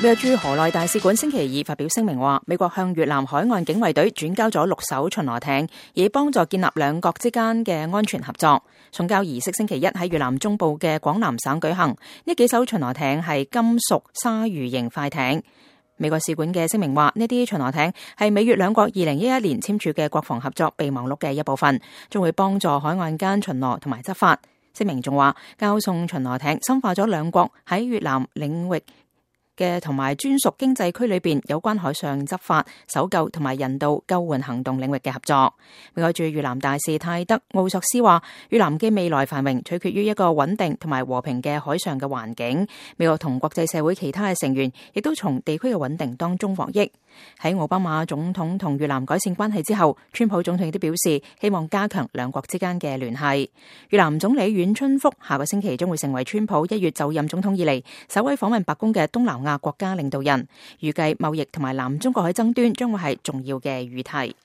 美國駐河內大使館星期二發表聲明話，美國向越南海岸警衛隊轉交咗6艘巡邏艇，以幫助建立兩國之間嘅安全合作。送交儀式星期一喺越南中部嘅廣南省舉行。呢幾艘巡邏艇係金屬鯊魚型快艇。美國使館嘅聲明話，呢啲巡邏艇係美越兩國2011年簽署嘅國防合作備忘錄嘅一部分，將會幫助海岸間巡邏同埋執法。聲明仲話，交送巡邏艇深化咗兩國喺越南領域嘅同埋專屬經濟區裏邊有關海上執法、搜救同埋人道救援行動領域嘅合作。美國駐越南大使泰德奧索斯話，越南嘅未來繁榮取決於一個穩定同埋和平嘅海上嘅環境。美國同國際社會其他嘅成員亦都從地區嘅穩定當中獲益。喺奧巴馬總統同越南改善關係之後，川普總統亦都表示希望加強兩國之間嘅聯繫。越南總理阮春福下個星期將會成為川普1月就任總統以嚟首位訪問白宮嘅東南亞國家領導人，預計貿易同埋南中國海爭端將會係重要嘅議題。